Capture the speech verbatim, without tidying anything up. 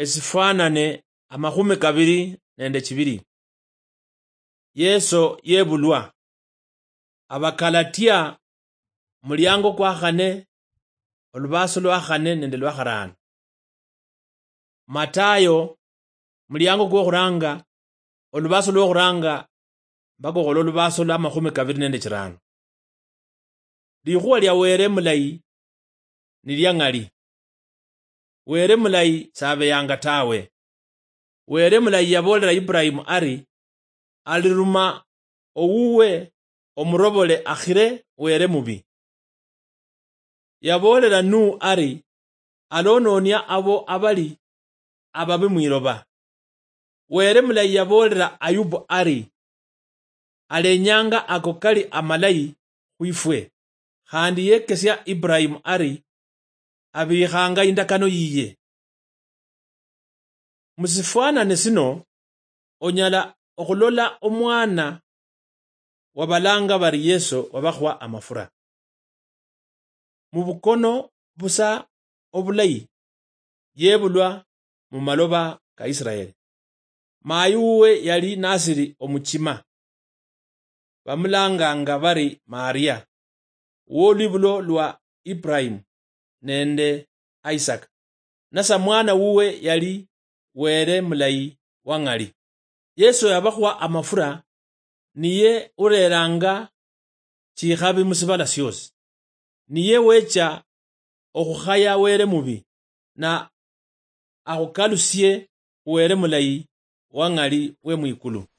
Esifwanane amakhumi kabiri nende chibiri. Yeso yebulwa. Abakalatia, muliango kwa khane, olubaso lwa khane nende lwa kharano. Matayo, muliango kwokhuranga, olubaso lwokhuranga mpaka okhola olubaso lwa makhumi kabiri nende chirano. Likhuwa lia Were mulayi ni lia ng'ali. Were mulayi sabeyanga tawe. Were mulayi yaboolera Ibrahimu ari, "Aliruma owuwe omurobole akhire Were mubi." Yaboolera Nuhu ari, "Alonoonia abo abali ababi mwiloba." Were mulayi yaboolera Ayubu ari, "Alenyanga ako kali amalayi khwifwe." Khandi yekesia Ibrahimu ari, "Abikhanga indakano yiye." Musifwanane sino, onyala okhulola omwana wabalanga bari Yeso wabakhwa amafura. Mubukono busa obulayi, yebulwa mumaloba ka Israeli. Mayi wuwe yali nasiri omuchima. Bamulanganga bari Maria, woluibulo lwa Ibrahimu nende Isaka. Nasa mwana wuwe yali Were mulayi wang'ali. Yeso yabakhwa amafura, niye ureranga chikhabi musibala siosi. Niye wecha okhukhaya Were mubi, na akhukalusie Were mulayi wang'ali we mwikulu.